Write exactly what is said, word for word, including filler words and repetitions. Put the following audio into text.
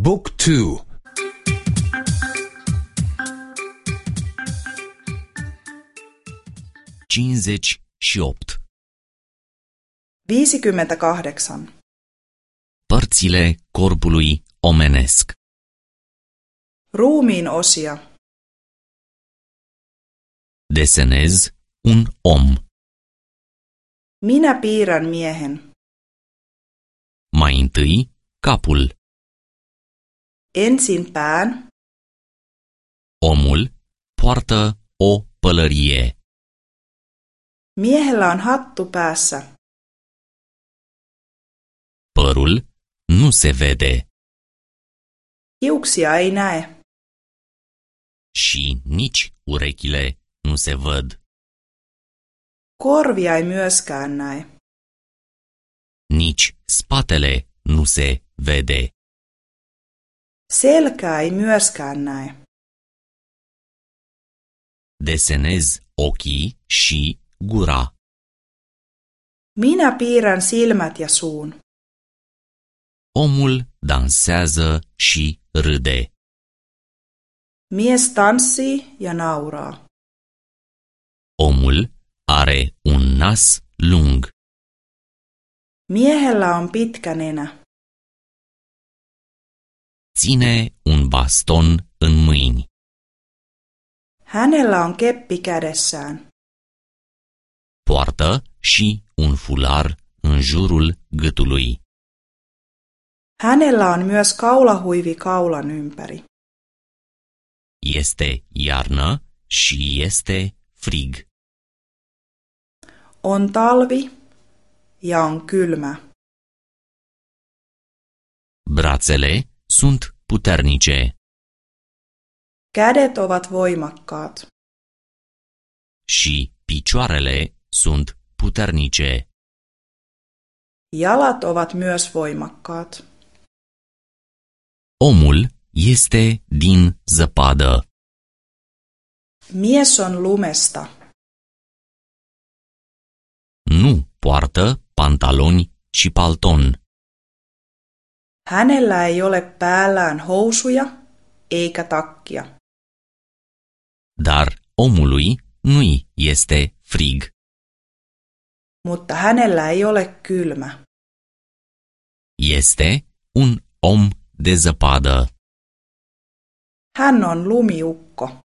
Book two. Cincizeci și opt. Viisikymmentäkahdeksan. Părțile corpului omenesc. Ruumiin osia. Desenez un om. Minä piirrän miehen. Mai întâi capul. Ensin pään. Omul poartă o pălărie. Miehellä on hattu päässä. Părul nu se vede. Hiuksia ei näe. Și nici urechile nu se văd. Korvia ei myöskään näe. Nici spatele nu se vede. Selkää ei myöskään näe. Desenez ochii și gura. Minä piirrän silmät ja suun. Omul dansează și râde. Mies tanssii ja nauraa. Omul are un nas lung. Miehellä on pitkä nenä. Ține un baston în mâini. Hänellä on keppi kädessään. Poartă și un fular în jurul gâtului. Hänellä on myös kaulahuivi kaulan ympäri. Este iarnă și este frig. On talvi ja on kylmä. Brațele sunt puternice. Kädet ovat voimakkaat. Și picioarele sunt puternice. Jalat ovat myös voimakkaat. Omul este din zăpadă. Mies on lumesta. Nu poartă pantaloni și palton. Hänellä ei ole päällään housuja eikä takkia. Dar omului nu-i este frig. Mutta hänellä ei ole kylmä. Este un om de zăpadă. Hän on lumiukko.